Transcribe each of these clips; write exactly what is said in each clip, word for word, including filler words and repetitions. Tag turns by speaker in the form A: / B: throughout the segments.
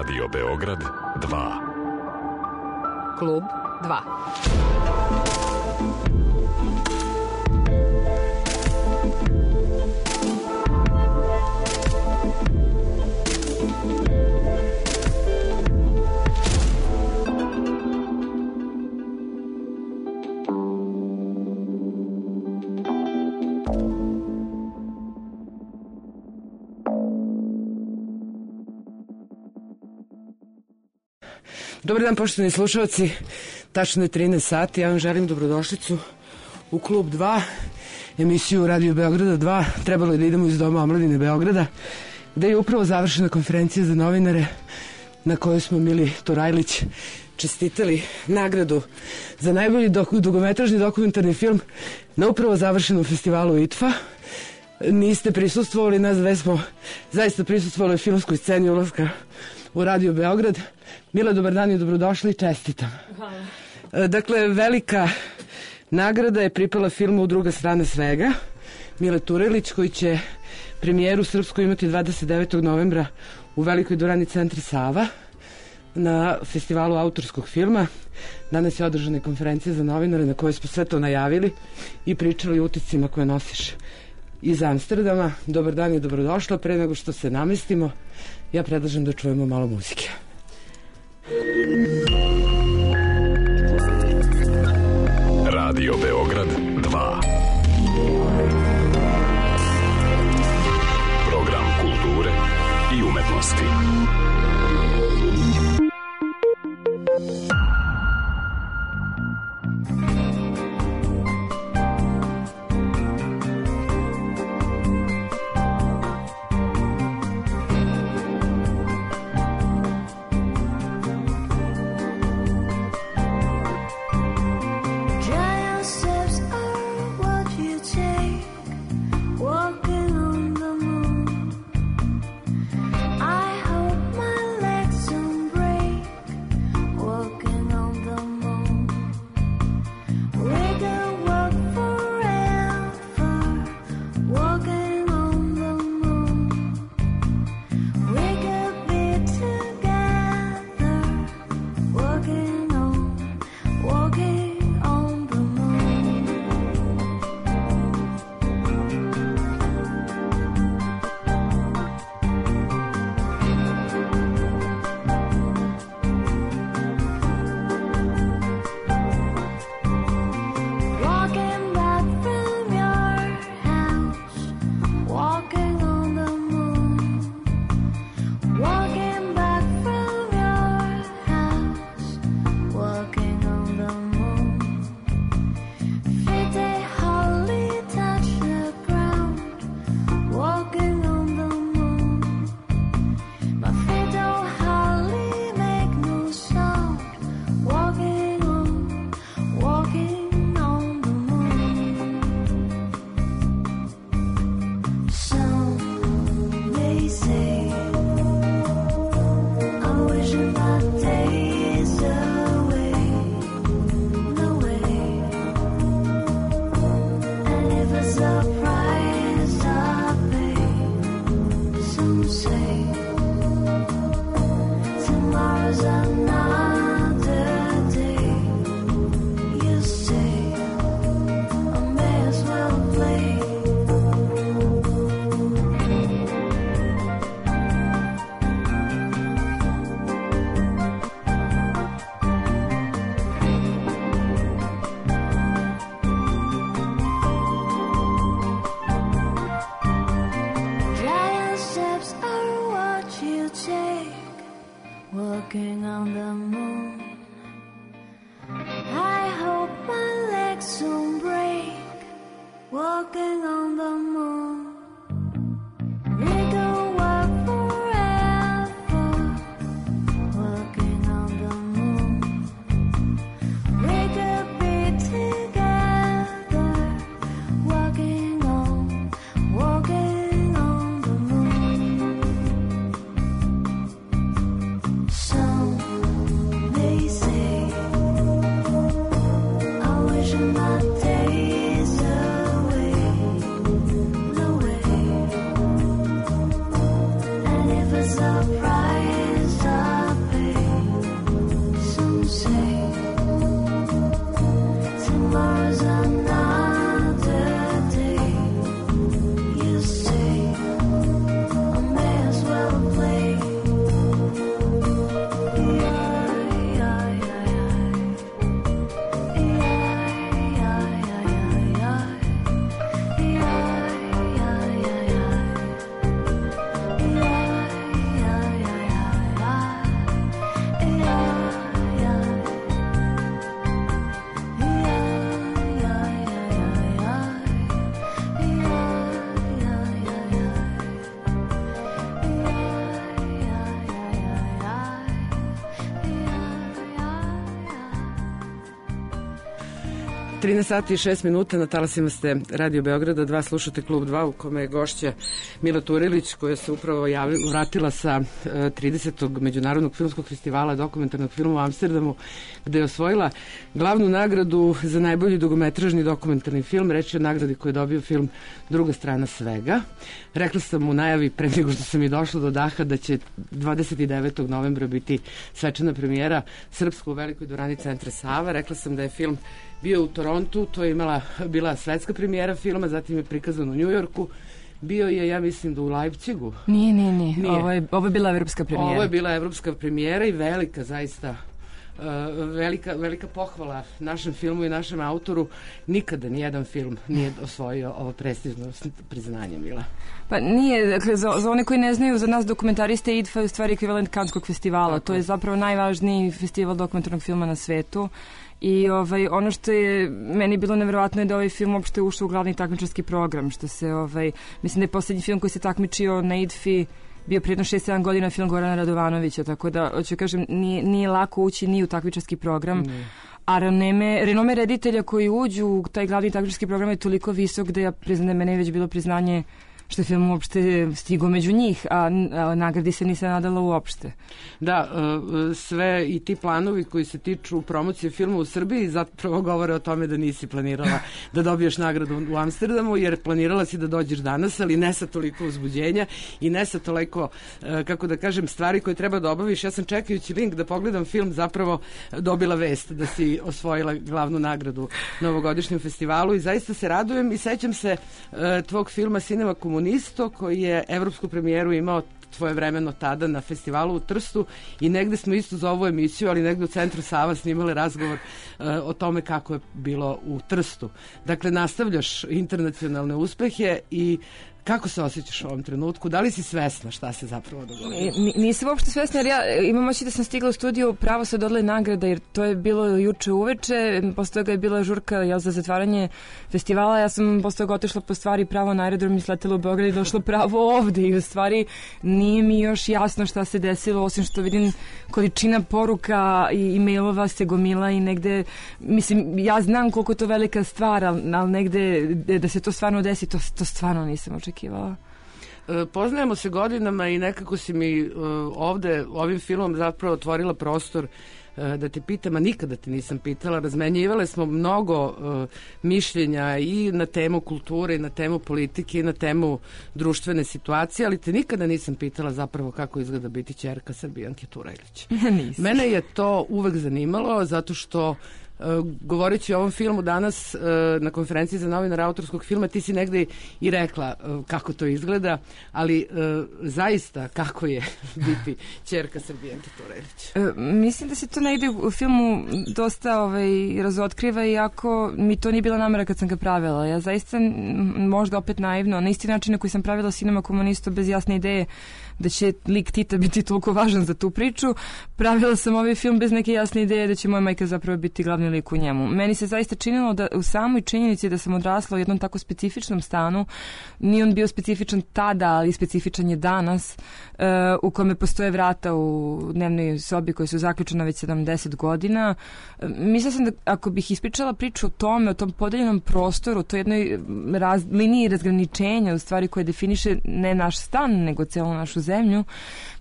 A: Radio Beograd dva.
B: Klub dva.
C: Dobar dan, poštovani slušalci, tačno je trinaest sati, ja vam želim dobrodošlicu u Klub dva, emisiju Radio Beograda dva. Trebalo je da idemo iz Doma omladine Beograda, gde je upravo završena konferencija za novinare na kojoj smo Mili Turajlić čestitali nagradu za najbolji dok- dugometražni dokumentarni film na upravo završenom festivalu I T F A. Niste prisustvovali, nas dve smo zaista prisustvovali filmskoj sceni ulaska u Radio Beograd. Mila, dobar dan i dobrodošli i čestitam. Hvala. Dakle, velika nagrada je pripala filmu Druga strana svega, Mile Turajlić, koji će premijeru srpsku imati dvadeset devetog novembra u Velikoj dvorani Centri Sava na festivalu autorskog filma. Danas je održana konferencija za novinare na kojoj smo sve to najavili i pričali o uticima koje nosiš iz Amsterdama. Dobar dan i dobrodošla. Pre nego što se namestimo, ja predlažem da čujemo malo muzike.
A: Radio Beograd dva. Program kulture i umetnosti.
D: My days away.
C: trinaest sati i šest minuta, na talasima ste Radio Beograda dva, slušate Klub dva u kome je gošća Mila Turilić, koja se upravo javila, vratila sa tridesetog Međunarodnog filmskog festivala dokumentarnog filma u Amsterdamu, gde je osvojila glavnu nagradu za najbolji dugometražni dokumentarni film. Reč je o nagradi koju je dobio film Druga strana svega. Rekla sam u najavi pre nego što sam i došla do daha da će dvadeset devetog novembra biti svečana premijera srpska u Velikoj dvorani Centra Sava. Rekla sam da je film bio u Torontu, to je imala, bila svetska premijera filma, zatim je prikazan u Njujorku. Bio je, ja mislim, da u Leipzigu.
D: Nije, nije, nije. nije. Ovo, je, ovo je bila evropska premijera.
C: Ovo je bila evropska premijera i velika, zaista, uh, velika, velika pohvala našem filmu i našem autoru. Nikada nijedan film nije osvojio ovo prestižno priznanje, Mila.
D: Pa nije, dakle, za, za one koji ne znaju, za nas dokumentariste I D F A je u stvari ekvivalent Kanskog festivala. Tako. To je zapravo najvažniji festival dokumentarnog filma na svetu. I ovaj, ono što je meni bilo nevjerovatno je da ovaj film uopšte ušao u glavni takmičarski program, što se, ovaj, mislim da je poslednji film koji se takmičio na I D F I bio prijedno šest sedam godina film Gorana Radovanovića, tako da, hoću kažem, nije, nije lako ući ni u takmičarski program. Mm. A renome, renome reditelja koji uđu u taj glavni takmičarski program je toliko visok da ja priznam da je mene već bilo priznanje što je film uopšte stigao među njih, a, a nagradi se nisam nadala uopšte.
C: Da, sve i ti planovi koji se tiču promocije filma u Srbiji zapravo govore o tome da nisi planirala da dobiješ nagradu u Amsterdamu, jer planirala si da dođeš danas, ali ne sa toliko uzbuđenja i ne sa toliko, kako da kažem, stvari koje treba da obaviš. Ja sam čekajući link da pogledam film zapravo dobila vest da si osvojila glavnu nagradu na ovogodišnjem festivalu i zaista se radujem i sećam se tvog filma Cinema Komunisto, koji je evropsku premijeru imao svojevremeno tada na festivalu u Trstu i negde smo isto za ovu emisiju, ali negde u Centru Sava snimali razgovor uh, o tome kako je bilo u Trstu. Dakle, nastavljaš internacionalne uspehe i kako se osjećaš u ovom trenutku? Da li si svesna šta se zapravo dogodilo?
D: Nisam uopšte svesna, jer ja imam oči da sam stigla u studiju pravo sa dodale nagrada, jer to je bilo juče uveče, posle toga je bila žurka ja, za zatvaranje festivala, ja sam posle toga otišla po stvari pravo na aerodrom i sletela u Beograd i došla pravo ovde i u stvari nije mi još jasno šta se desilo, osim što vidim količina poruka i e-mailova se gomila i negde, mislim, ja znam koliko je to velika stvar, ali, ali negde da se to stvarno desi, to, to stvarno nisam očekivala.
C: Poznajemo se godinama i nekako si mi uh, ovde ovim filmom zapravo otvorila prostor uh, da te pitam, a nikada te nisam pitala. Razmenjivale smo mnogo uh, mišljenja i na temu kulture i na temu politike i na temu društvene situacije, ali te nikada nisam pitala zapravo kako izgleda biti ćerka Srbijanke Turajlić. Mene je to uvek zanimalo zato što Uh, govoreći o ovom filmu danas uh, na konferenciji za novinara autorskog filma, ti si negde i rekla uh, kako to izgleda, ali uh, zaista kako je biti ćerka Srbijanke Turajlić?
D: Uh, mislim da se to negde u filmu dosta ovaj, razotkriva, iako mi to nije bila namera kad sam ga pravila. Ja zaista, možda opet naivno, na isti način na koji sam pravila Cinema Komunisto bez jasne ideje da će lik Tita biti toliko važan za tu priču, pravila sam ovaj film bez neke jasne ideje da će moja majka zapravo biti glavni lik u njemu. Meni se zaista činilo da u samoj činjenici da sam odrasla u jednom tako specifičnom stanu, nije on bio specifičan tada, ali specifičan je danas, uh, u kome postoje vrata u dnevnoj sobi koje su zaključena već sedamdeset godina. Uh, mislila sam da ako bih ispričala priču o tome, o tom podeljenom prostoru, to jednoj raz, liniji razgraničenja, u stvari koje definiše ne naš stan, nego celu našu zemlju,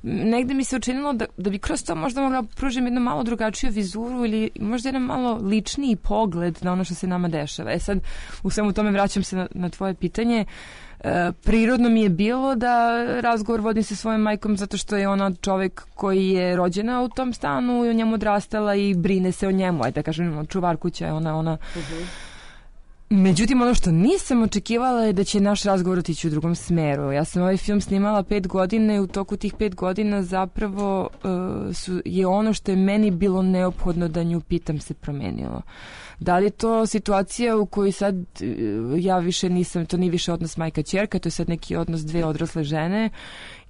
D: negde mi se učinilo da, da bi kroz to možda mogla pružiti jednu malo drugačiju vizuru ili možda jedan malo ličniji pogled na ono što se nama dešava. E sad, u svemu tome vraćam se na, na tvoje pitanje. E, prirodno mi je bilo da razgovor vodim sa svojom majkom zato što je ona čovek koji je rođena u tom stanu i o njemu odrastala i brine se o njemu. Ajde da kažem, čuvar kuća je ona, ona uh-huh. Međutim, ono što nisam očekivala je da će naš razgovor otići u drugom smeru. Ja sam ovaj film snimala pet godina i u toku tih pet godina zapravo uh, su, je ono što je meni bilo neophodno da nju pitam se promenilo. Da li je to situacija u kojoj sad uh, ja više nisam, to nije više odnos majka-ćerka, to je sad neki odnos dve odrasle žene,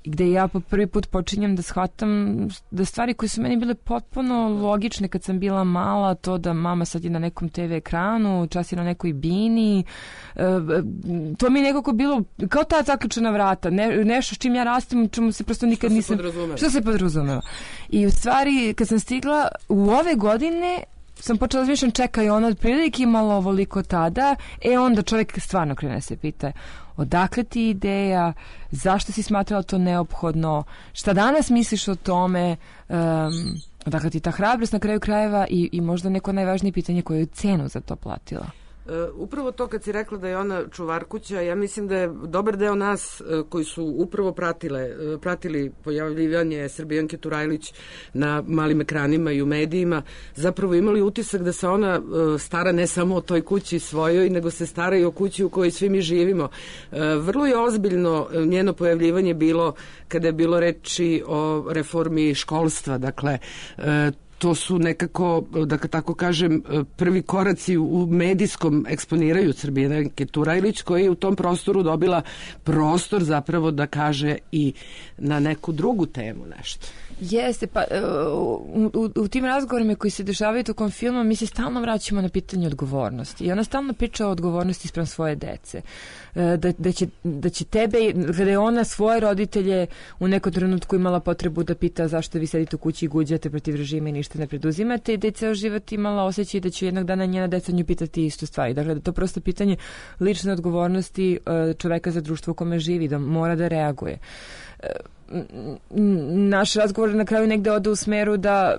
D: gde ja po prvi put počinjem da shvatam da stvari koje su meni bile potpuno logične kad sam bila mala, to da mama sad je na nekom te ve ekranu, čas je na nekoj bini, to mi je nekako bilo kao ta zaključena vrata, ne, nešto s čim ja rastim, čemu se prosto nikad nisam...
C: Što se podrazumeva?
D: Što se podrazumeva. I u stvari, kad sam stigla u ove godine, sam počela razmišljam, čekaj, ona otprilike imala ovoliko tada, e onda čovjek stvarno krene se pita odakle ti ideja, zašto si smatrala to neophodno, šta danas misliš o tome, um, odakle ti ta hrabrost na kraju krajeva i, i možda neko najvažnije pitanje koju je cenu za to platila.
C: Uh, upravo to kad si rekla da je ona čuvar kuća, ja mislim da je dobar deo nas uh, koji su upravo pratile, uh, pratili pojavljivanje Srbijanke Turajlić na malim ekranima i u medijima, zapravo imali utisak da se ona uh, stara ne samo o toj kući svojoj, nego se stara i o kući u kojoj svi mi živimo. Uh, vrlo je ozbiljno njeno pojavljivanje bilo kada je bilo reči o reformi školstva, dakle uh, to su nekako, da tako kažem, prvi koraci u medijskom eksponiranju Srbijanke Turajlić, koja je u tom prostoru dobila prostor zapravo da kaže i na neku drugu temu nešto.
D: Jeste, pa u, u, u tim razgovorima koji se dešavaju tokom filma mi se stalno vraćamo na pitanje odgovornosti i ona stalno priča o odgovornosti spram svoje dece. Da, da, će, da će tebe, kada je ona svoje roditelje u nekom trenutku imala potrebu da pita zašto vi sedite u kući i guđate protiv režima i ništa ne preduzimate i da je ceo život imala osjećaj da će jednog dana njena deca nju pitati istu stvar. Dakle, da to prosto pitanje lične odgovornosti čoveka za društvo u kome živi, da mora da reaguje. Naš razgovor na kraju negde ode u smeru da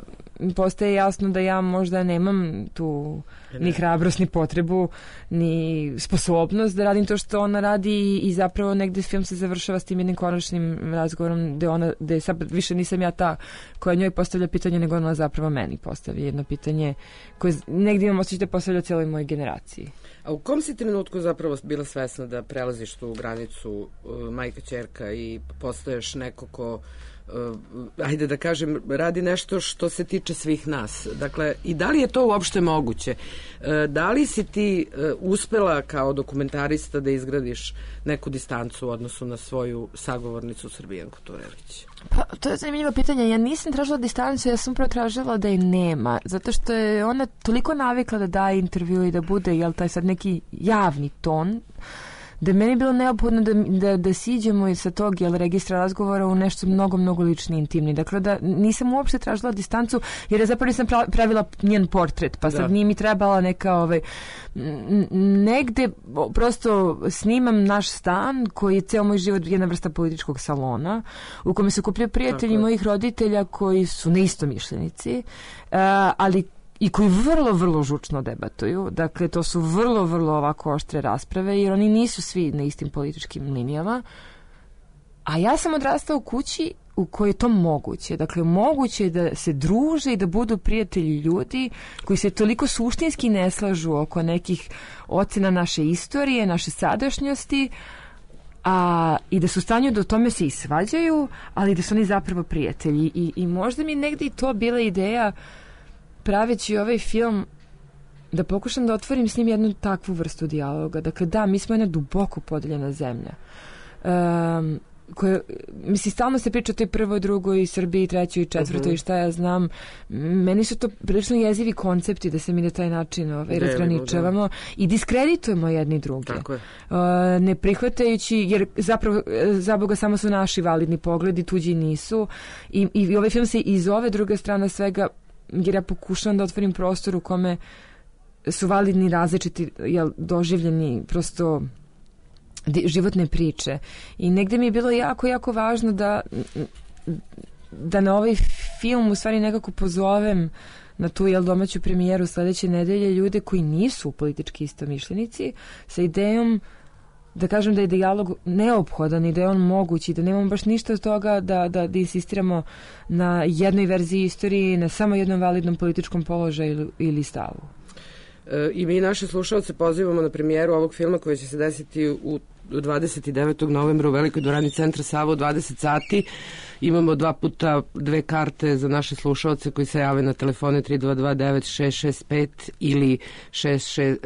D: postaje jasno da ja možda nemam tu ni hrabrost, ni potrebu, ni sposobnost da radim to što ona radi i zapravo negde film se završava s tim jednim konačnim razgovorom gde ona, gde sad više nisam ja ta koja njoj postavlja pitanje, nego ona zapravo meni postavlja jedno pitanje koje negde imam osjećaj da postavlja cijeloj mojoj generaciji.
C: A u kom si trenutku zapravo bila svesna da prelaziš tu granicu uh, majka ćerka i postaješ neko ko Uh, ajde da kažem, radi nešto što se tiče svih nas. Dakle, i da li je to uopšte moguće? Uh, da li si ti uh, uspela kao dokumentarista da izgradiš neku distancu u odnosu na svoju sagovornicu Srbijanku Turajlić?
D: Pa, to je zanimljivo pitanje. Ja nisam tražila distancu, ja sam upravo tražila da je nema. Zato što je ona toliko navikla da daje intervju i da bude, jel, taj sad neki javni ton, da je meni bilo neophodno da, da, da siđemo i sa tog jel, registra razgovora u nešto mnogo, mnogo lični, intimni. Dakle, da nisam uopšte tražila distancu, jer je zapravo nisam pravila njen portret, pa sad da. Nije mi trebala neka, ovaj, negde prosto snimam naš stan, koji je ceo moj život jedna vrsta političkog salona, u kome se okupljaju prijatelji mojih roditelja koji su neistomišljenici, uh, ali i koji vrlo, vrlo žučno debatuju. Dakle, to su vrlo, vrlo ovako oštre rasprave, jer oni nisu svi na istim političkim linijama. A ja sam odrastao u kući u kojoj je to moguće. Dakle, moguće je da se druže i da budu prijatelji ljudi koji se toliko suštinski ne slažu oko nekih ocena naše istorije, naše sadašnjosti, a i da su u stanju da o tome se i svađaju, ali da su oni zapravo prijatelji. I, i možda mi negdje i to bila ideja praveći ovaj film da pokušam da otvorim s njim jednu takvu vrstu dijaloga. Dakle, da, mi smo jedna duboko podeljena zemlja. Um, koje, mislim, stalno se priča o toj prvoj, drugoj, Srbiji, trećoj i četvrtoj uh-huh. i šta ja znam. Meni su to prilično jezivi koncepti da se mi na taj način ovaj, razgraničavamo i diskreditujemo jedni druge.
C: Tako je.
D: Uh, ne prihvatajući, jer zapravo, za Boga, samo su naši validni pogledi, tuđi nisu. I, i ovaj film se iz ove druge strane svega, jer ja pokušavam da otvorim prostor u kome su validni različiti jel, doživljeni prosto životne priče. I negde mi je bilo jako, jako važno da da na ovaj film u stvari nekako pozovem na tu jel, domaću premijeru sledeće nedelje ljude koji nisu politički istomišljenici sa idejom da kažem da je dijalog neophodan i da je on moguć i da nemamo baš ništa od toga da, da, da insistiramo na jednoj verziji istorije, na samo jednom validnom političkom položaju ili, ili stavu.
C: E, I mi naše slušalce pozivamo na premijeru ovog filma koji će se desiti u dvadeset devetog novembra u Velikoj dvorani Centra Sava u dvadeset sati. Imamo dva puta dve karte za naše slušalce koji se jave na telefone tri dva dva devet šest šest pet ili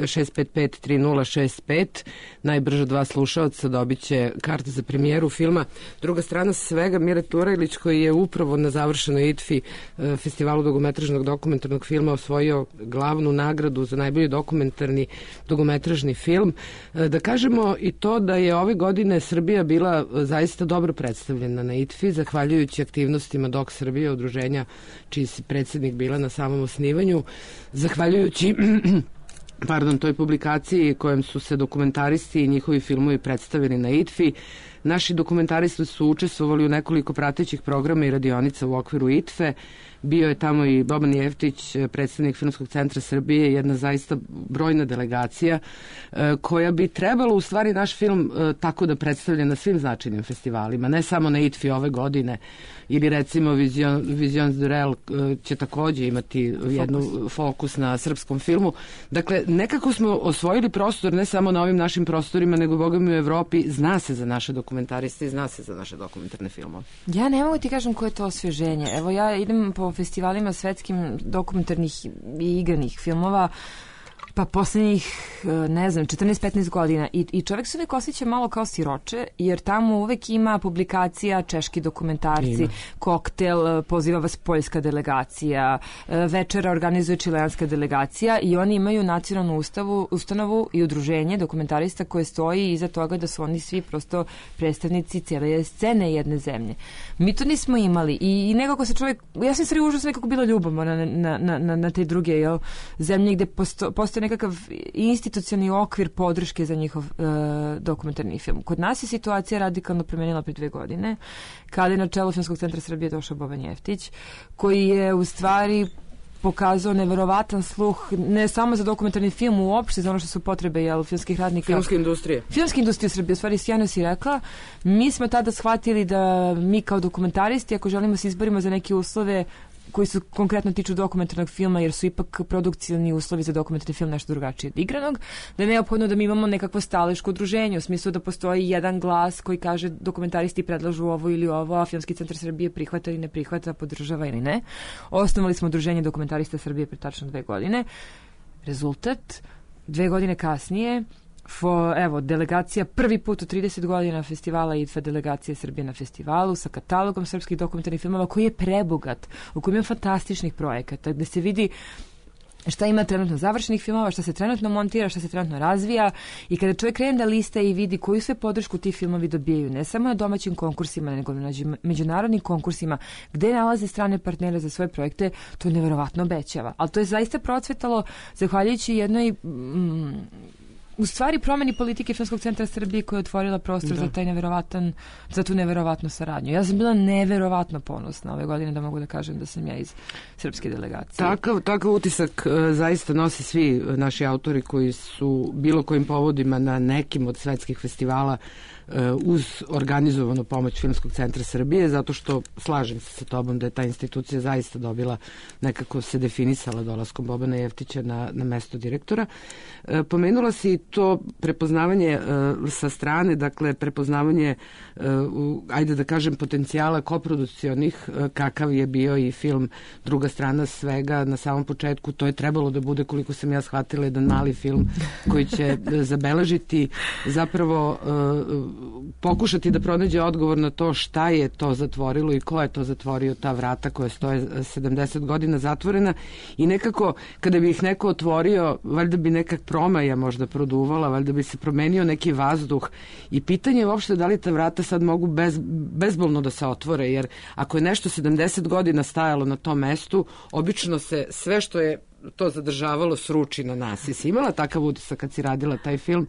C: šest pet pet tri nula šest pet. Najbrže dva slušalca dobit će karte za premijeru filma. Druga strana svega, Mira Turajlić, koji je upravo na završenoj I T F I festivalu dugometražnog dokumentarnog filma osvojio glavnu nagradu za najbolji dokumentarni dugometražni film. Da kažemo i to da je ove godine Srbija bila zaista dobro predstavljena na I T F I, zahvaljujući zahvaljujući aktivnostima Dok Srbije, udruženja čiji si predsjednik bila na samom osnivanju, zahvaljujući pardon, toj publikaciji kojem su se dokumentaristi i njihovi filmovi predstavili na I T F I. Naši dokumentaristi su učestvovali u nekoliko pratećih programa i radionica u okviru I T F E. Bio je tamo i Boban Jeftić, predstavnik Filmskog centra Srbije, jedna zaista brojna delegacija koja bi trebalo u stvari naš film tako da predstavlja na svim značajnim festivalima, ne samo na I T F I ove godine, ili recimo Vision, Visions du Rel će takođe imati jednu fokus. fokus na srpskom filmu. Dakle, nekako smo osvojili prostor ne samo na ovim našim prostorima, nego boga mi u Evropi zna se za naše dokumentariste i zna se za naše dokumentarne filmove.
D: Ja ne mogu ti kažem koje je to osvježenje. Evo ja idem po festivalima svetskim dokumentarnih i igranih filmova pa poslednjih, ne znam, četrnaest petnaest godina i, i čovjek se uvek osjeća malo kao siroče, jer tamo uvek ima publikacija, češki dokumentarci, ima. Koktel, poziva vas poljska delegacija, večera organizuje čileanska delegacija i oni imaju nacionalnu ustavu, ustanovu i udruženje dokumentarista koje stoji iza toga da su oni svi prosto predstavnici cijele scene jedne zemlje. Mi to nismo imali i, i nekako se čovjek, ja sam stvari užasno nekako bila ljubomorna na, na, na, na te druge jel, zemlje gde posto, postoje nekakav institucionalni okvir podrške za njihov e, dokumentarni film. Kod nas je situacija radikalno promenila pre dve godine, kada je na čelo Filmskog centra Srbije došao Boban Jeftić, koji je u stvari pokazao neverovatan sluh ne samo za dokumentarni film uopšte, za ono što su potrebe jel, filmskih radnika.
C: Filmske industrije.
D: Filmske industrije Srbije, u stvari sjajno si rekla. Mi smo tada shvatili da mi kao dokumentaristi, ako želimo se izborimo za neke uslove koji su konkretno tiču dokumentarnog filma, jer su ipak produkcijni uslovi za dokumentarni film nešto drugačije od igranog, da je neophodno da mi imamo nekakvo staleško udruženje, u smislu da postoji jedan glas koji kaže dokumentaristi predlažu ovo ili ovo, a Filmski centar Srbije prihvata ili ne prihvata, podržava ili ne. Osnovali smo udruženje dokumentarista Srbije pre tačno dve godine. Rezultat, dve godine kasnije, Fo, evo, delegacija prvi put u trideset godina festivala I T F E delegacije Srbije na festivalu sa katalogom srpskih dokumentarnih filmova koji je prebogat, u kojem ima fantastičnih projekata, gde se vidi šta ima trenutno završenih filmova, šta se trenutno montira, šta se trenutno razvija i kada čovjek krene da lista i vidi koju sve podršku ti filmovi dobijaju, ne samo na domaćim konkursima, nego na međunarodnim konkursima, gde nalaze strane partnere za svoje projekte, to neverovatno obećava. Ali to je zaista procvetalo zahvaljujući jednoj mm, u stvari promeni politike Filmskog centra Srbije koja je otvorila prostor da. za taj neverovatan, za tu neverovatnu saradnju. Ja sam bila neverovatno ponosna ove godine da mogu da kažem da sam ja iz srpske delegacije.
C: Takav, takav utisak uh, zaista nose svi naši autori koji su bilo kojim povodima na nekim od svetskih festivala uh, uz organizovanu pomoć Filmskog centra Srbije, zato što slažem se sa tobom da je ta institucija zaista dobila, nekako se definisala dolaskom Bobana Jeftića na, na mesto direktora. Uh, pomenula si to prepoznavanje uh, sa strane, dakle prepoznavanje uh, u, ajde da kažem potencijala koprodukcionih, uh, kakav je bio i film Druga strana svega na samom početku. To je trebalo da bude, koliko sam ja shvatila, jedan mali film koji će uh, zabeležiti, zapravo uh, pokušati da pronađe odgovor na to šta je to zatvorilo i ko je to zatvorio ta vrata koja stoje sedamdeset godina zatvorena i nekako kada bi ih neko otvorio, valjda bi nekak promaja možda produvala, valjda bi se promenio neki vazduh i pitanje je uopšte da li ta vrata sad mogu bez, bezbolno da se otvore, jer ako je nešto sedamdeset godina stajalo na tom mestu, obično se sve što je to zadržavalo sruči na nas. I si imala takav utisak kad si radila taj film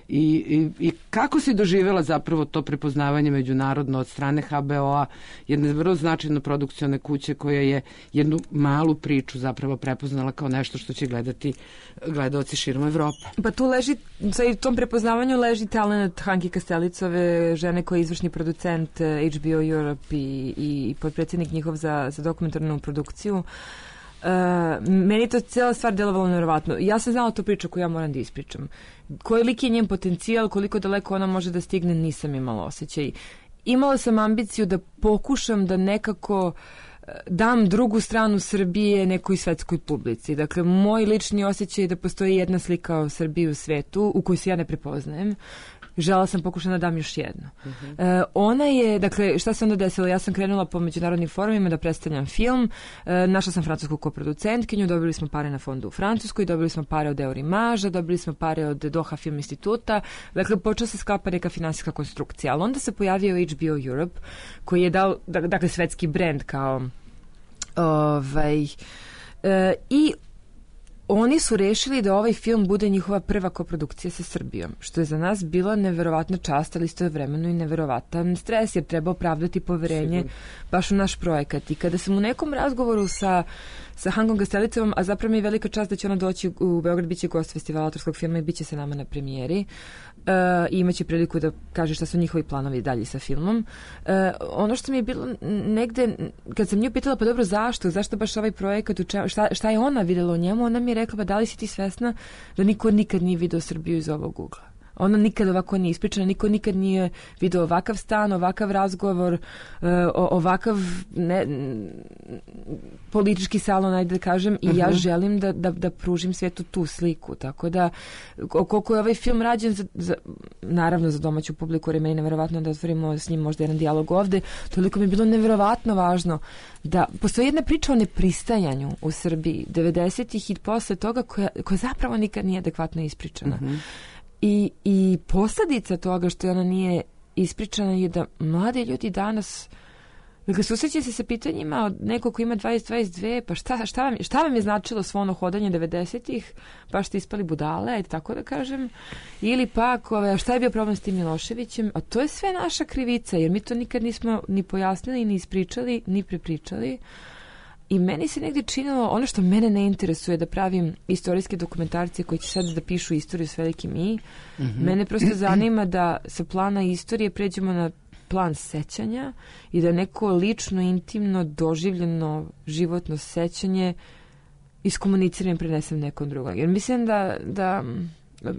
C: i, i, i kako si doživjela zapravo to prepoznavanje međunarodno od strane H B O-a, jedne vrlo značajno produkcione kuće koja je jednu malu priču zapravo prepoznala kao nešto što će gledati gledaoci širom Evrope.
D: Pa tu leži, sa tom prepoznavanju leži talent Hanki Kastelicove, žene koja je izvršni producent H B O Europe i, i podpredsjednik njihov za, za dokumentarnu produkciju. Uh, meni je to cijela stvar delovalo nevjerovatno. Ja sam znala tu priču koju ja moram da ispričam. Koliki je njen potencijal, koliko daleko ona može da stigne, nisam imala osjećaj. Imala sam ambiciju da pokušam da nekako dam drugu stranu Srbije nekoj svetskoj publici. Dakle, moj lični osjećaj je da postoji jedna slika o Srbiji u svetu u kojoj se ja ne prepoznajem. Žela sam pokušati da dam još jednu. Uh-huh. E, ona je, dakle, šta se onda desilo? Ja sam krenula po međunarodnim forumima da predstavljam film. E, našla sam francusku koproducentkinju, dobili smo pare na fondu u Francuskoj, dobili smo pare od Eurimaža, dobili smo pare od Doha Film instituta. Dakle, počela se sklapa neka finansijska konstrukcija. Ali onda se pojavio H B O Europe, koji je dao, dakle, svetski brend kao ovaj... E, i oni su rešili da ovaj film bude njihova prva koprodukcija sa Srbijom, što je za nas bila neverovatna čast, ali istovremeno i neverovatan stres, jer treba opravdati poverenje Sigur. baš u naš projekat. I kada sam u nekom razgovoru sa, sa Hangom Gastelicovom, a zapravo mi je velika čast da će ona doći u Beograd, bit će gost festivala autorskog filma i bit će se nama na premijeri, Uh, i imaće priliku da kaže šta su njihovi planovi dalje sa filmom. Uh, ono što mi je bilo negde, kad sam nju pitala, pa dobro, zašto? Zašto baš ovaj projekat? Šta, šta je ona videla o njemu? Ona mi je rekla, pa da li si ti svesna da niko nikad nije video Srbiju iz ovog ugla? Ona nikad ovako nije ispričana, niko nikad nije video ovakav stan, ovakav razgovor, uh, ovakav ne, politički salon, ajde da kažem, i uh-huh. ja želim da, da, da pružim svijetu tu sliku. Tako da, koliko je ovaj film rađen, za, za, naravno za domaću publiku, jer je meni neverovatno da otvorimo s njim možda jedan dijalog ovde, toliko mi je bilo neverovatno važno da postoji jedna priča o nepristajanju u Srbiji devedesetih i posle toga koja, koja zapravo nikad nije adekvatno ispričana. Uh-huh. I, i posljedica toga što ona nije ispričana je da mladi ljudi danas, dakle, susreće se sa pitanjima od nekog ko ima dvadeset dvadeset dve, pa šta, šta, vam, šta vam je značilo svo ono hodanje devedesetih, pa ste ispali budale, ajde tako da kažem, ili pak ove, šta je bio problem s tim Miloševićem, a to je sve naša krivica, jer mi to nikad nismo ni pojasnili, ni ispričali, ni prepričali. I meni se negdje činilo, ono što mene ne interesuje, da pravim istorijske dokumentarce koji će sad da pišu istoriju s velikim i, mm-hmm. mene prosto zanima da sa plana istorije pređemo na plan sećanja i da neko lično, intimno, doživljeno, životno sećanje iskomuniciram i prenesem nekom drugom. Jer mislim da, da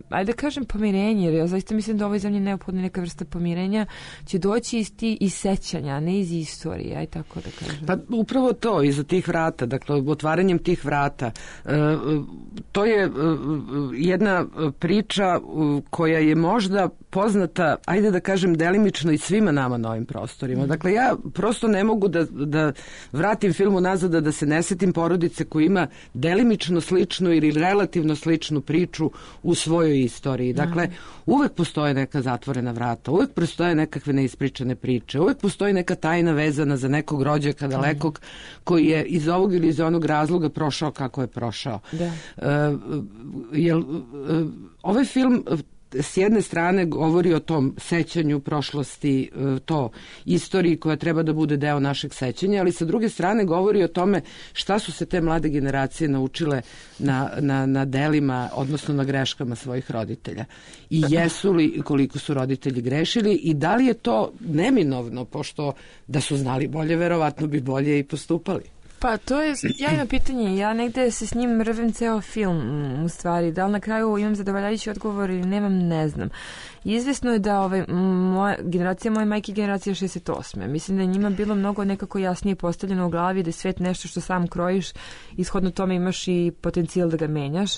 D: ajde da kažem pomirenje, jer ja zaista mislim da ovoj zemlji neophodna neka vrsta pomirenja će doći iz, ti, iz sećanja, a ne iz istorije, aj tako da kažem.
C: Pa upravo to, iza tih vrata, dakle otvaranjem tih vrata, e, to je e, jedna priča koja je možda poznata, ajde da kažem delimično i svima nama na ovim prostorima. Mm. Dakle, ja prosto ne mogu da, da vratim filmu nazad, da se ne setim porodice koja ima delimično sličnu ili relativno sličnu priču u svojoj istoriji. Dakle, uvek postoje neka zatvorena vrata, uvek postoje nekakve neispričane priče, uvek postoji neka tajna vezana za nekog rođaka dalekog koji je iz ovog ili iz onog razloga prošao kako je prošao. Da. Uh, jel, uh, ovaj film s jedne strane govori o tom sećanju prošlosti, to istoriji koja treba da bude deo našeg sećanja, ali sa druge strane govori o tome šta su se te mlade generacije naučile na, na, na delima, odnosno na greškama svojih roditelja. I jesu li, koliko su roditelji grešili i da li je to neminovno, pošto da su znali bolje, verovatno bi bolje i postupali.
D: Pa to je jajno pitanje. Ja negde se s njim rvem ceo film, u stvari. Da li na kraju imam zadovoljavajući odgovor ili nemam, ne znam. Izvesno je da ovaj, moja, generacija moje majke generacija šezdeset osme. Mislim da je njima bilo mnogo nekako jasnije postavljeno u glavi da je svet nešto što sam krojiš, ishodno tome imaš i potencijal da ga menjaš.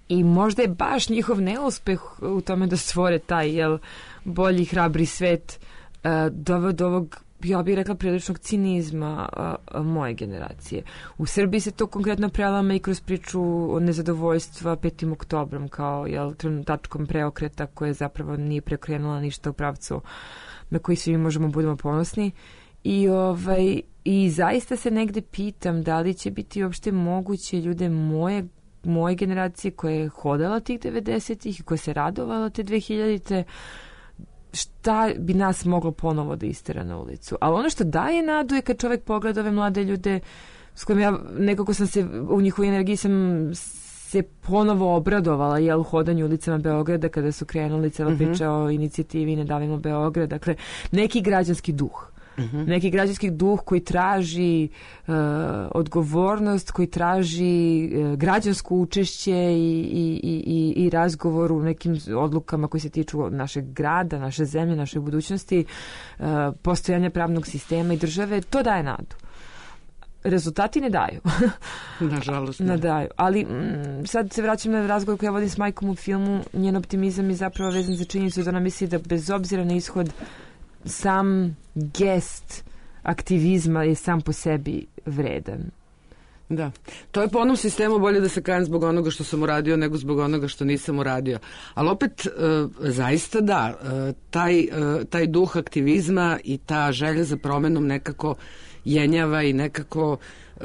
D: I možda je baš njihov neuspeh u tome da stvore taj jel, bolji, hrabri svet uh, do, do ovog, ja bih rekla, priličnog cinizma a, a, moje generacije. U Srbiji se to konkretno prelama i kroz priču od nezadovoljstva petim oktobrom kao jel, tačkom preokreta koja zapravo nije prekrenula ništa u pravcu na koji svi možemo budemo ponosni. I, ovaj, i zaista se negde pitam da li će biti uopšte moguće ljude moje moje generacije koja je hodala tih devedesetih i koja se radovala te dvehiljadite, šta bi nas moglo ponovo da istera na ulicu. Ali ono što daje nadu je kad čovjek pogleda ove mlade ljude s kojim ja nekako sam se u njihovoj energiji sam se ponovo obradovala jel, u hodanju ulicama Beograda kada su krenuli cela mm-hmm. priča o inicijativi Ne davimo Beograd. Dakle, neki građanski duh. Uh-huh. Neki građanski duh koji traži uh, odgovornost, koji traži uh, građansko učešće i, i, i, i razgovor u nekim odlukama koji se tiču našeg grada, naše zemlje, naše budućnosti, uh, postojanja pravnog sistema i države. To daje nadu. rezultati ne daju.
C: Nažalost.
D: Ne daju. Ali m, sad se vraćam na razgovor koji ja vodim s majkom u filmu. Njen optimizam je zapravo vezan za činjenicu da ona misli da bez obzira na ishod sam gest aktivizma je sam po sebi vredan.
C: Da. To je po onom sistemu bolje da se kajem zbog onoga što sam uradio nego zbog onoga što nisam uradio. Ali opet, e, zaista da, e, taj, e, taj duh aktivizma i ta želja za promenom nekako jenjava i nekako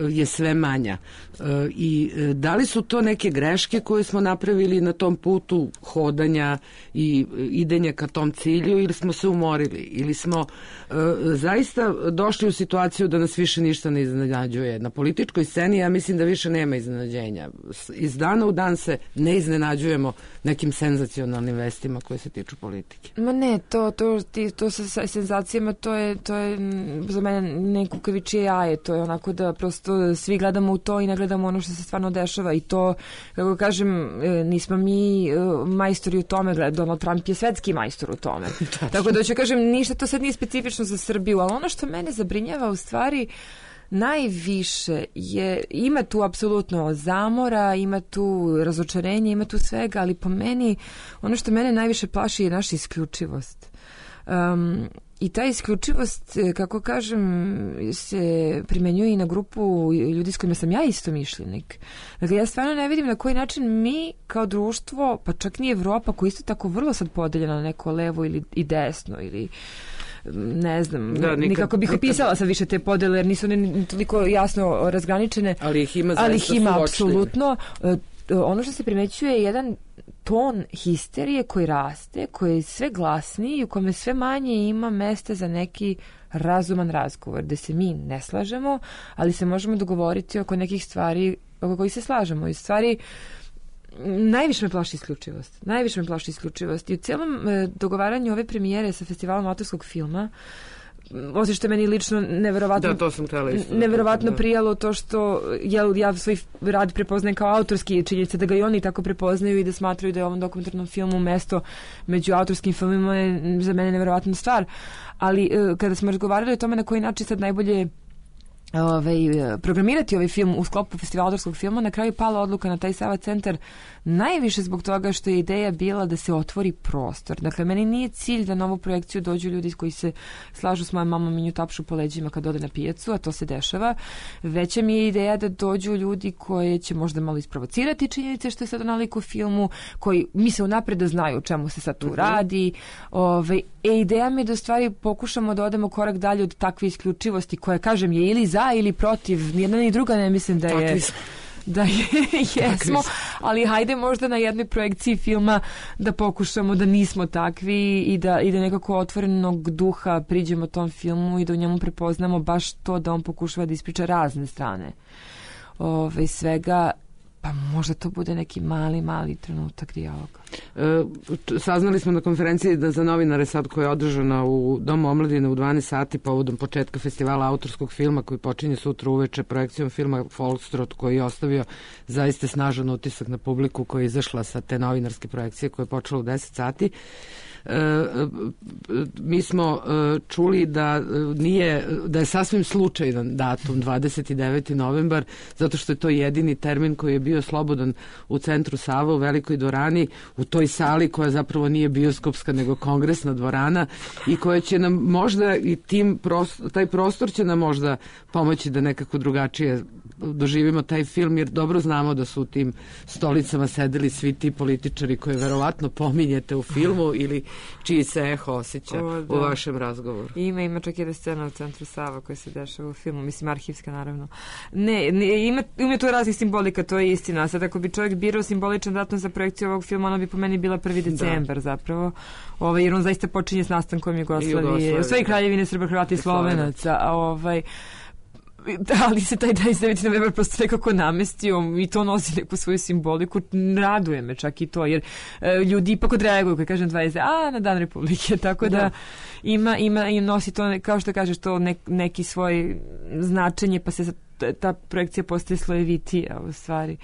C: je sve manja. E, I da li su to neke greške koje smo napravili na tom putu hodanja i idenja ka tom cilju ili smo se umorili ili smo e, zaista došli u situaciju da nas više ništa ne iznenađuje. Na političkoj sceni ja mislim da više nema iznenađenja. Iz dana u dan se ne iznenađujemo nekim senzacionalnim vestima koje se tiču politike.
D: Ma ne, to, to, ti, to sa senzacijama to je, to je za mene neko kavičije jaje. To je onako da prosto svi gledamo u to i ne gledamo ono što se stvarno dešava i to, kako kažem, nismo mi majstori u tome, Donald Trump je svetski majstor u tome. Tako da ću kažem, ništa to sad nije specifično za Srbiju, ali ono što mene zabrinjava u stvari najviše je, ima tu apsolutno zamora, ima tu razočarenje, ima tu svega, ali po meni ono što mene najviše plaši je naša isključivost. Um, I ta isključivost, kako kažem, se primenjuje i na grupu ljudi s kojima sam ja isto mišljenik. Dakle, ja stvarno ne vidim na koji način mi kao društvo, pa čak ni Evropa, koja isto tako vrlo sad podeljena na neko levo ili i desno ili ne znam, da, nikad, nikako bih opisala sad više te podele jer nisu ne, toliko jasno razgraničene.
C: Ali ih ima,
D: ali ih ima apsolutno. Ono što se primećuje je jedan ton histerije koji raste, koji je sve glasniji i u kome sve manje ima mesta za neki razuman razgovor, gde se mi ne slažemo, ali se možemo dogovoriti oko nekih stvari oko kojih se slažemo. I stvari najviše me plaši isključivost. Najviše me plaši isključivost. I u cijelom e, dogovaranju ove premijere sa festivalom autorskog filma, osim što je meni lično neverovatno,
C: da, to sam htjela isto,
D: neverovatno
C: da.
D: Prijalo to što ja, ja svoj rad prepoznajem kao autorski, činjenica da ga i oni tako prepoznaju i da smatraju da je ovom dokumentarnom filmu mesto među autorskim filmima je za mene neverovatna stvar. Ali e, kada smo razgovarali o tome na koji način sad najbolje Ovaj, programirati ovaj film u sklopu festivala autorskog filma, na kraju pala odluka na taj Sava centar najviše zbog toga što je ideja bila da se otvori prostor. Dakle, meni nije cilj da na ovu projekciju dođu ljudi koji se slažu s mojom mamom i nju tapšu po leđima kad ode na pijacu, a to se dešava. Veća mi je ideja da dođu ljudi koje će možda malo isprovocirati činjenice što je sad nalik u filmu, koji misle unapred da znaju o čemu se sad tu uh-huh. radi. Ove, e, ideja mi je da stvari pokušamo da odemo korak dalje od takve isključivosti koja, kažem, je ili za ili protiv, nijedna ni druga ne mislim da je da je, jesmo, ali hajde možda na jednoj projekciji filma da pokušamo da nismo takvi i da, i da nekako otvorenog duha priđemo tom filmu i da u njemu prepoznamo baš to da on pokušava da ispriča razne strane ove, svega, pa možda to bude neki mali, mali trenutak dijaloga.
C: E, saznali smo na konferenciji da za novinare sad koja je održana u Domu omladine u dvanaest sati povodom početka festivala autorskog filma koji počinje sutra uveče projekcijom filma Folkstrot koji je ostavio zaista snažan utisak na publiku koja je izašla sa te novinarske projekcije koja je počela u deset sati. E, mi smo e, čuli da nije, da je sasvim slučajan datum dvadeset deveti novembar zato što je to jedini termin koji je bio slobodan u centru Sava u velikoj dvorani, u toj sali koja zapravo nije bioskopska nego kongresna dvorana i koja će nam možda i tim prostor, taj prostor će nam možda pomoći da nekako drugačije doživimo taj film jer dobro znamo da su u tim stolicama sedeli svi ti političari koje verovatno pominjete u filmu ili čiji se eho osjeća o, u vašem razgovoru.
D: Ima, ima čak jedna scena u centru Sava koja se dešava u filmu, mislim arhivska naravno. Ne, ne ima, ima tu raznih simbolika, to je istina. Sad ako bi čovjek birao simboličan datum za projekciju ovog filma, ono bi po meni bila prvi decembar da. zapravo. Ovaj, jer on zaista počinje s nastankom Jugoslavije, u svojoj kraljevine Srba, Hrvata i Slovenaca. A ovaj ali se taj dvadeset deveti novembar prosto nekako namestio i to nosi neku svoju simboliku. Raduje me čak i to, jer e, ljudi ipak odreaguju kad kažem dvadeset a na Dan Republike, tako da, da ima, ima i nosi to, kao što kažeš, to ne, neki svoj značenje, pa se ta projekcija postaje slojevitija u stvari.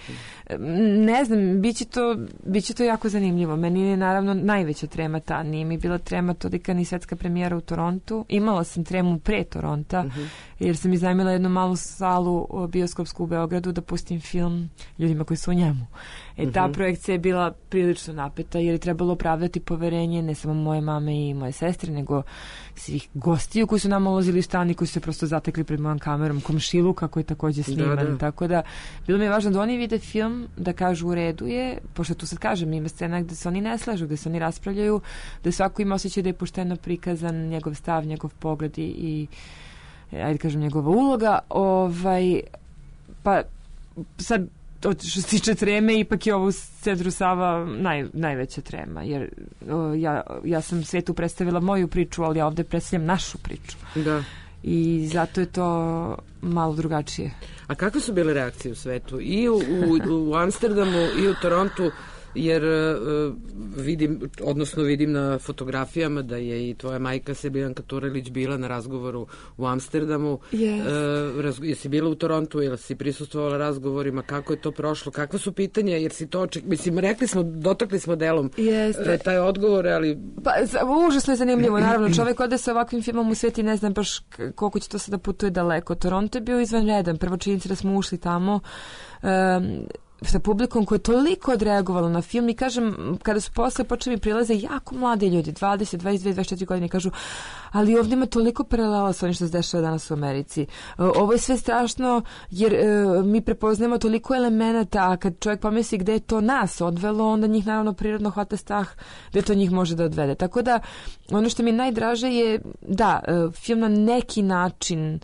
D: Ne znam, bit će to, bit će to jako zanimljivo. Meni je naravno najveća trema ta. Nije mi bila trema tolika ni svetska premijera u Torontu. Imala sam tremu pre Toronta, uh-huh. jer sam iznajmila jednu malu salu bioskopsku u Beogradu da pustim film ljudima koji su u njemu. E, ta uh-huh. projekcija je bila prilično napeta jer je trebalo opravdati poverenje ne samo moje mame i moje sestre, nego svih gostiju koji su nam ulazili u stan i koji su se prosto zatekli pred mojom kamerom, komšiluka koji je takođe sniman. Da, da. Tako da, bilo mi je važno da oni vide film, da kažu u redu je, pošto tu sad kažem, ima scena gde se oni ne slažu, gde se oni raspravljaju, da svako ima osjećaj da je pošteno prikazan njegov stav, njegov pogled i, i ajde kažem, njegova uloga. Ovaj, pa sad, od što se tiče treme, ipak je ovo u Centru Sava naj, najveća trema, jer o, ja, ja sam svetu predstavila moju priču, ali ja ovde predstavljam našu priču. Da. I zato je to malo drugačije.
C: A kakve su bile reakcije u svetu? I u, u, u Amsterdamu i u Torontu, jer uh, vidim, odnosno vidim na fotografijama da je i tvoja majka Sebijanka Turelić bila na razgovoru u Amsterdamu. Yes. Uh, raz, jesi bila u Torontu ili si prisustvovala razgovorima? Kako je to prošlo? Kakva su pitanja? Jer si to oček... Mislim, rekli smo, dotakli smo delom uh, taj odgovor, ali...
D: Pa, užasno je zanimljivo. Naravno, čovek ode sa ovakvim filmom u svijet i ne znam baš koliko će to sada putuje daleko. Toronto je bio izvanredan. Prvo činjenica da smo ušli tamo... Um, sa publikom koja je toliko odreagovala na film i kažem, kada su posle počeli prilaze jako mladi ljudi, dvadeset, dvadeset dve, dvadeset četiri godine, kažu, ali ovdje ima toliko paralela sa onim što se dešava danas u Americi. Ovo je sve strašno jer uh, mi prepoznajemo toliko elemenata, a kad čovjek pomisli gde je to nas odvelo, onda njih naravno prirodno hvata strah gde to njih može da odvede. Tako da, ono što mi najdraže je, da, uh, film na neki način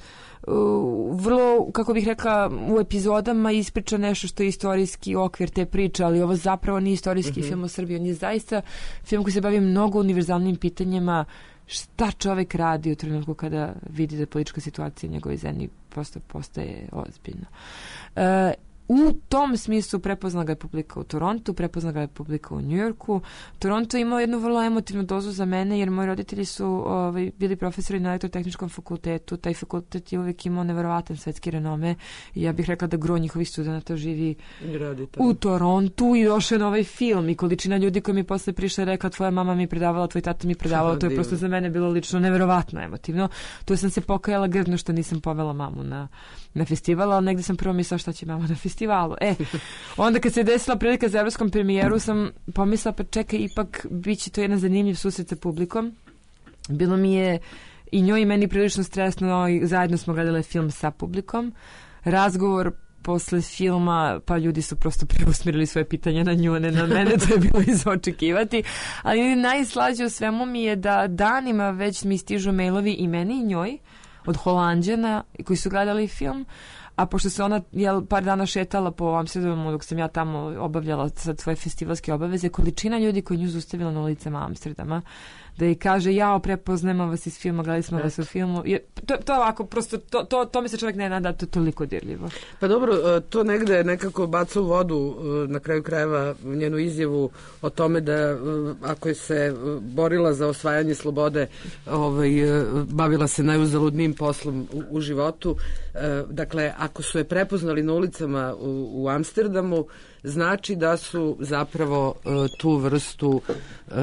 D: Uh, vrlo, kako bih rekla, u epizodama ispriča nešto što je istorijski okvir te priče, ali ovo zapravo nije istorijski mm-hmm. film o Srbiji. On je zaista film koji se bavi mnogo univerzalnim pitanjima šta čovek radi u trenutku kada vidi da politička situacija u njegovoj zemlji prosto postaje ozbiljna. Uh, U tom smislu prepoznala ga je publika u Torontu, prepoznala ga je publika u Njujorku. Toronto je imao jednu vrlo emotivnu dozu za mene, jer moji roditelji su ovaj, bili profesori na elektrotehničkom fakultetu. Taj fakultet je uvijek imao neverovatan svetski renome i ja bih rekla da gro njihovih studenta živi u Torontu i došao je na ovaj film i količina ljudi koji mi posle prišla rekla tvoja mama mi predavala, tvoj tata mi predavala, to je prosto za mene bilo lično neverovatno emotivno. Tu sam se pokajala grdno što nisam povela mamu na, na festival, ali negdje sam prvo mislila šta će mama na festival. E, onda kad se desila prilika za evropskom premijeru sam pomislila pa čekaj, ipak bit će to jedan zanimljiv susret sa publikom. Bilo mi je i njoj i meni prilično stresno i zajedno smo gledali film sa publikom. Razgovor posle filma, pa ljudi su prosto preusmirili svoje pitanja na nju, ne na mene, to je bilo iz očekivati. Ali najslađe u svemu mi je da danima već mi stižu mailovi i meni i njoj od Holanđana koji su gledali film. A pošto se ona jel, par dana šetala po Amsterdamu dok sam ja tamo obavljala sad svoje festivalske obaveze, količina ljudi koji nju zustavila na ulicama Amsterdama, da je kaže, jao, prepoznajemo vas iz filma, gledali smo vas u filmu. Je, to, to je ovako, prosto, to, to, to mi se čovjek ne nada, to je toliko dirljivo.
C: Pa dobro, to negde nekako baca u vodu na kraju krajeva njenu izjavu o tome da ako je se borila za osvajanje slobode, ovaj, bavila se najuzaludnijim poslom u, u životu. Dakle, ako su je prepoznali na ulicama u, u Amsterdamu, znači da su zapravo uh, tu vrstu uh,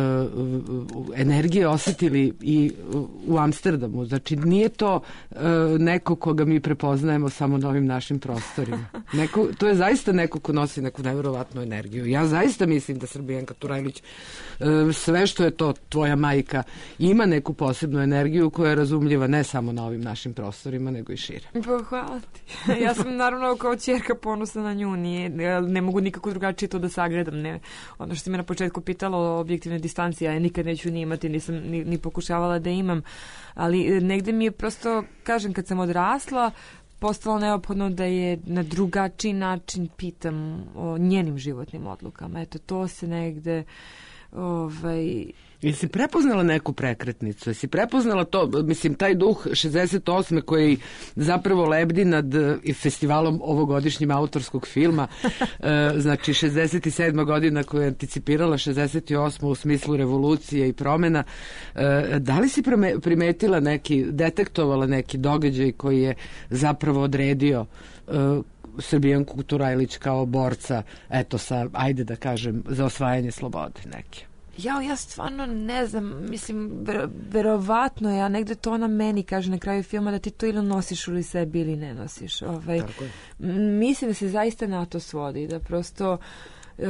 C: energije osjetili i uh, u Amsterdamu. Znači nije to uh, neko koga mi prepoznajemo samo na ovim našim prostorima. Neko, to je zaista neko ko nosi neku nevjerovatnu energiju. Ja zaista mislim da Srbijanka Turajlić uh, sve što je to tvoja majka ima neku posebnu energiju koja je razumljiva ne samo na ovim našim prostorima nego i šire.
D: Pa hvala ti. Ja sam naravno kao ćerka ponosna na nju. Nije, ne mogu nikako drugačije to da sagledam. Ne. Ono što si me na početku pitalo o objektivnoj distanci, ja je nikad neću ni imati, nisam ni, ni pokušavala da imam. Ali negde mi je prosto, kažem, kad sam odrasla, postalo neophodno da je na drugačiji način pitam o njenim životnim odlukama. Eto, to se negde ovaj,
C: Jesi prepoznala neku prekretnicu? Jesi prepoznala to, mislim, taj duh šezdeset osme koji zapravo lebdi nad festivalom ovogodišnjim autorskog filma, znači šezdeset sedma godina koja je anticipirala šezdeset osmu u smislu revolucije i promena. Da li si primetila neki, detektovala neki događaj koji je zapravo odredio Srbijanku Turajlić kao borca, eto sa, ajde da kažem, za osvajanje slobode neke?
D: Ja, ja stvarno ne znam, mislim, ver, verovatno ja negde to ona meni kaže na kraju filma da ti to ili nosiš ili sebi ili ne nosiš. Ovaj, mislim da se zaista na to svodi, da prosto uh,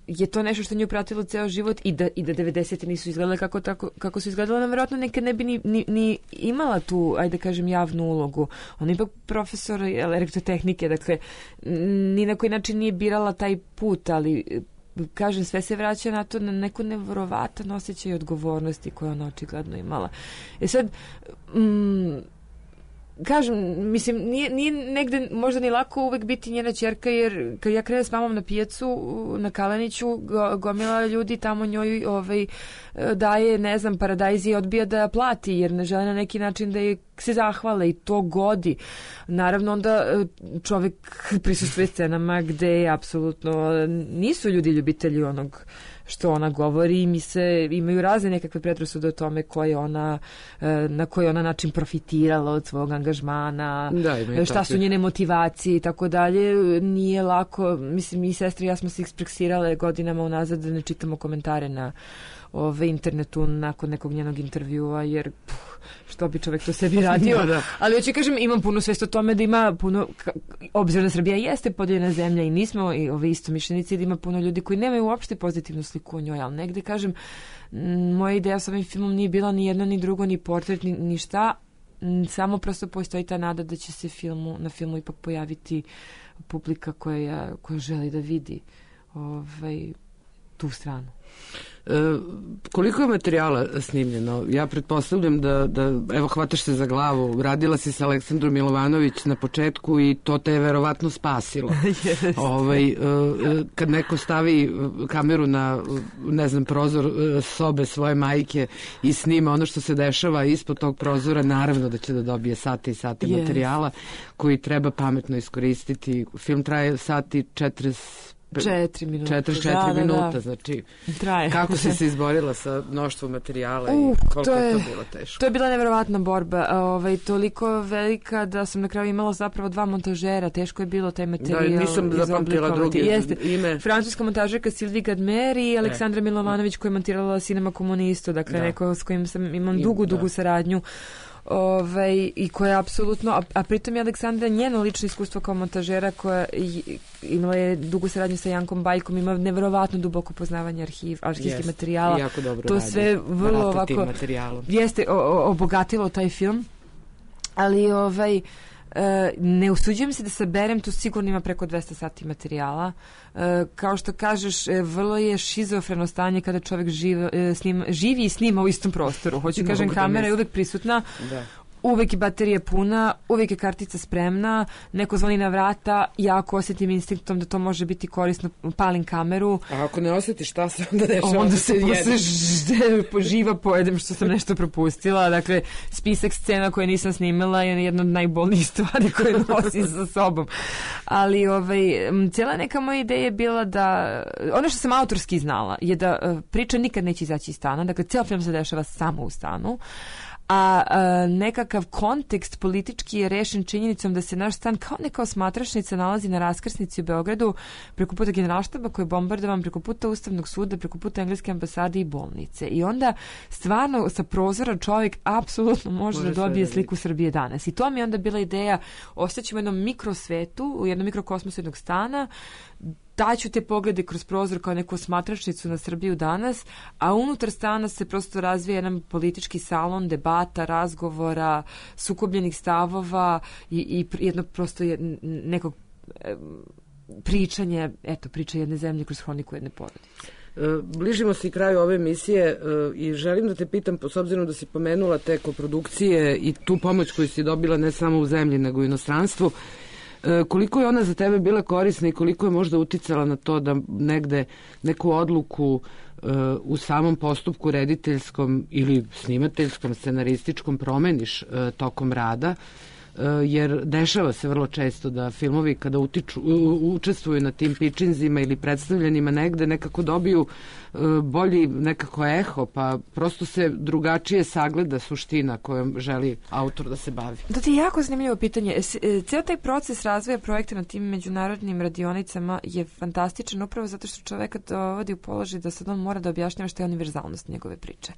D: je to nešto što nju pratilo ceo život i da, i da devedesete nisu izgledale kako, tako, kako su izgledale, ona verovatno nekad ne bi ni, ni, ni imala tu, ajde da kažem, javnu ulogu. Ona je ipak profesor elektrotehnike, dakle, ni na koji način nije birala taj put, ali kažem, sve se vraća na to, na neku nevjerovatan osjećaj odgovornosti koju ona očigledno imala. E sad, mm, kažem, mislim, nije, nije negde možda ni lako uvek biti njena ćerka, jer kad ja krenem s mamom na pijacu na Kaleniću, go, gomila ljudi tamo njoj ovaj, daje, ne znam, paradajz i odbija da plati, jer ne žele na neki način da je se zahvale i to godi. Naravno, onda čovek prisustvuje scenama gde apsolutno nisu ljudi ljubitelji onog što ona govori i mi se imaju razne nekakve predrasude o tome koje ona, na koji ona način profitirala od svog angažmana, da, šta su njene motivacije i tako dalje. Nije lako, mislim, i sestre i ja smo se ekspreksirale godinama unazad da ne čitamo komentare na ove internetu nakon nekog njenog intervjua, jer puh, što bi čovek to sebi radio. Da, da. Ali hoću kažem, imam puno svest o tome da ima puno, obzirom da Srbija jeste podijeljena zemlja i nismo i ove istomišljenici, da ima puno ljudi koji nemaju uopšte pozitivnu sliku o njoj, ali negde kažem, moja ideja s ovim filmom nije bila ni jedno, ni drugo, ni portret, ni, ni šta, samo prosto postoji ta nada da će se filmu, na filmu ipak pojaviti publika koja, koja želi da vidi ovaj, tu stranu.
C: E, koliko je materijala snimljeno? Ja pretpostavljam da, da, evo, hvataš se za glavu, radila si sa Aleksandrom Milovanović na početku i to te je verovatno spasilo. Yes. Ovaj, e, kad neko stavi kameru na, ne znam, prozor sobe svoje majke i snima ono što se dešava ispod tog prozora, naravno da će da dobije sate i sate yes. materijala koji treba pametno iskoristiti. Film traje sati četrdeset
D: Četiri minuta.
C: četrdeset četiri da, minuta, da, da. Znači, traje. Kako si se izborila sa mnoštvom materijala uh, i koliko to je, je to bilo teško?
D: To je bila neverovatna borba, ovaj, toliko velika da sam na kraju imala zapravo dva montažera, teško je bilo taj materijal.
C: Da, nisam zapamtila drugi
D: Jeste.
C: ime.
D: Francuska montažerka Sylvie Gadmer i Aleksandra e. Milovanović koja je montirala Cinema Komunisto, dakle da. neko s kojim sam imam dugu, dugu da. saradnju. Ovaj, i koja je apsolutno, a, a pritom je Aleksandra njeno lično iskustvo kao montažera koja imala je dugu saradnju sa Jankom Bajkom, ima neverovatno duboko poznavanje arhiv, arhivskih yes. materijala.
C: Jako dobro
D: to
C: radi.
D: Sve vrlo ovako jeste o, o, obogatilo taj film, ali ovaj E, ne usuđujem se da saberem, tu sigurno ima preko dvesta sati materijala. E, kao što kažeš, e, vrlo je šizofreno stanje kada čovjek živ, e, snima, živi i snima u istom prostoru. Hoću kažem, kamera je uvek prisutna. Da. Uvek je baterija puna, uvek je kartica spremna, neko zvoni na vrata, ja ako osjetim instinktom da to može biti korisno, palim kameru.
C: A ako ne osjetiš, šta se onda dešava?
D: Onda se posle živa pojedem što sam nešto propustila. Dakle, spisak scena koje nisam snimala je jedna od najbolnijih stvari koje nosim sa sobom. Ali ovaj, cijela neka moja ideja je bila da, ono što sam autorski znala je da priča nikad neće izaći iz stana, dakle, cijel film se dešava samo u stanu. A, a nekakav kontekst politički je rešen činjenicom da se naš stan kao neka osmatračnica nalazi na raskrsnici u Beogradu, preko puta generalštaba koji je bombardovan, preko puta Ustavnog suda, preko puta engleske ambasade i bolnice. I onda stvarno sa prozora čovjek apsolutno može, može da dobije sliku Srbije danas. I to mi je onda bila ideja, ostaćemo u jednom mikrosvetu, u jednom mikrokosmosu jednog stana, daću te poglede kroz prozor kao neku osmatračnicu na Srbiju danas, a unutar stana se prosto razvija jedan politički salon, debata, razgovora, sukobljenih stavova i, i jedno prosto je, nekog e, pričanja, eto, priča jedne zemlje kroz hroniku jedne porodice.
C: Bližimo se i kraju ove emisije i želim da te pitam, s obzirom da si pomenula te koprodukcije i tu pomoć koju si dobila ne samo u zemlji nego i u inostranstvu, E, koliko je ona za tebe bila korisna i koliko je možda uticala na to da negde neku odluku e, u samom postupku rediteljskom ili snimateljskom, scenarističkom promeniš e, tokom rada? Jer dešava se vrlo često da filmovi kada utiču, učestvuju na tim pitchinzima ili predstavljanjima negde nekako dobiju bolji nekako eho, pa prosto se drugačije sagleda suština kojom želi autor da se bavi.
D: To ti je jako zanimljivo pitanje. Ceo taj proces razvoja projekta na tim međunarodnim radionicama je fantastičan upravo zato što čoveka dovodi u položaj da sad on mora da objašnjava šta je univerzalnost njegove priče.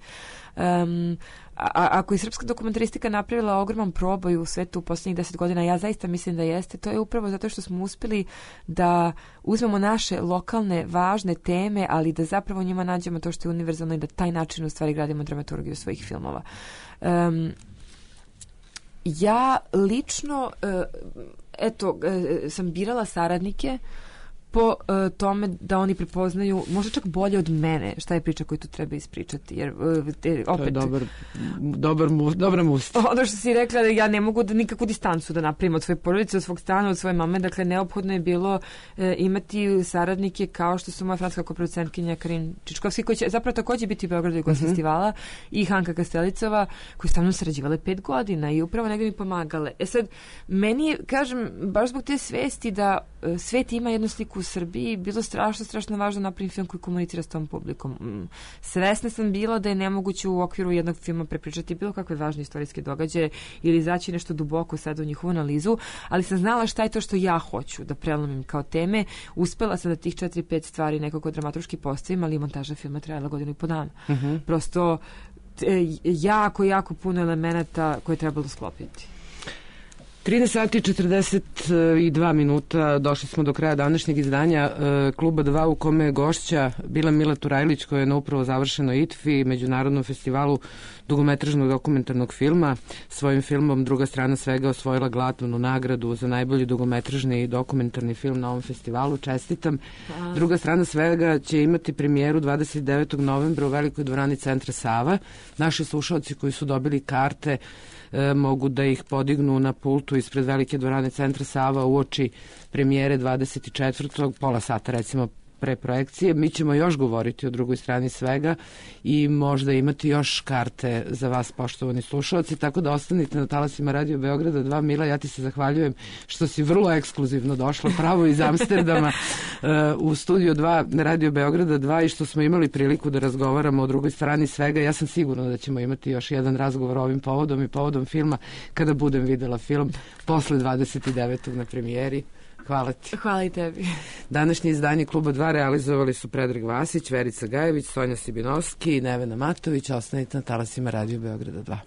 D: Um, a, ako je srpska dokumentaristika napravila ogroman proboj u svetu u poslednjih deset godina, ja zaista mislim da jeste, to je upravo zato što smo uspeli da uzmemo naše lokalne važne teme, ali da zapravo njima nađemo to što je univerzalno i da taj način u stvari gradimo dramaturgiju svojih filmova. Um, ja lično uh, eto, uh, sam birala saradnike po uh, tome da oni prepoznaju možda čak bolje od mene šta je priča koju tu treba ispričati. Jer, uh, te, opet,
C: to je dobar, dobar mu, dobra musta.
D: Ono što si rekla, da ja ne mogu da nikakvu distancu da napravim od svoje porodice, od svog stana, od svoje mame. Dakle, neophodno je bilo uh, imati saradnike kao što su moja francuska koproducentkinja Karin Čičkovski, koji će zapravo takođe biti u Beogradu Jugos mm-hmm. festivala, i Hanka Kastelicova, koji su sa mnom sarađivale pet godina i upravo negde mi pomagale. E sad, meni je, kažem, baš zbog te svesti da uh, svet ima jednu sliku u Srbiji, bilo strašno, strašno važno napraviti film koji komunicira s tom publikom. Svesna sam bila da je nemoguće u okviru jednog filma prepričati bilo kakve važne istorijske događaje ili izaći nešto duboko sad u njihovu analizu, ali sam znala šta je to što ja hoću da prelomim kao teme. Uspela sam da tih četiri, pet stvari nekako dramaturški postavim, ali montaža filma trajala godinu i po dana. Uh-huh. Prosto e, jako, jako puno elemenata koje je trebalo sklopiti.
C: trinaest sati i četrdeset dva minuta, došli smo do kraja današnjeg izdanja e, Kluba dva, u kome je gošća bila Mila Turajlić, koja je na upravo završenoj I T F I, Međunarodnom festivalu dugometražnog dokumentarnog filma. Svojim filmom Druga strana svega osvojila glavnu nagradu za najbolji dugometražni i dokumentarni film na ovom festivalu. Čestitam. A... Druga strana svega će imati premijeru dvadeset devetog novembra u Velikoj dvorani Centra Sava. Naši slušalci koji su dobili karte e, mogu da ih podignu na pultu ispred Velike dvorane Centra Sava uoči premijere dvadeset četvrtog pola sata recimo pre projekcije. Mi ćemo još govoriti o drugoj strani svega i možda imati još karte za vas, poštovani slušalci, tako da ostanite na talasima Radio Beograda dva. Mila, ja ti se zahvaljujem što si vrlo ekskluzivno došla pravo iz Amsterdama uh, u studio dva Radio Beograda dva i što smo imali priliku da razgovaramo o drugoj strani svega. Ja sam sigurna da ćemo imati još jedan razgovor ovim povodom i povodom filma kada budem videla film posle dvadeset devetog na premijeri. Hvala ti.
D: Hvala i tebi.
C: Današnje izdanje Kluba dva realizovali su Predrag Vasić, Verica Gajević, Sonja Sibinovski i Nevena Matović. Ostanite na talasima Radio Beograda dva.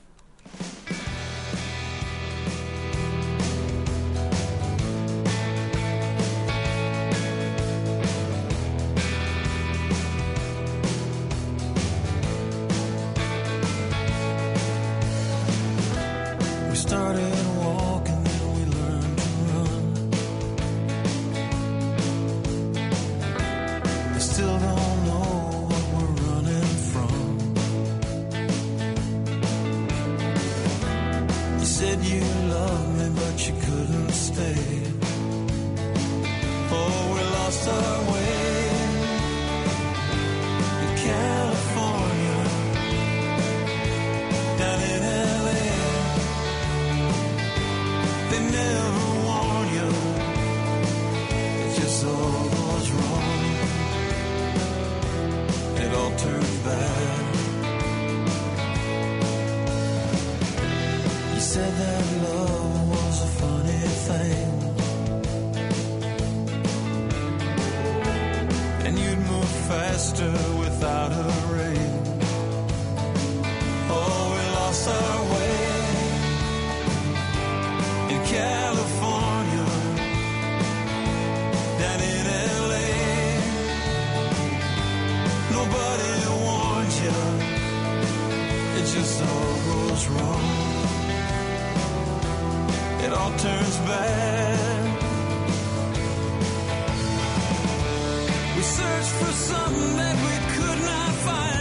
E: We searched for something that we could not find.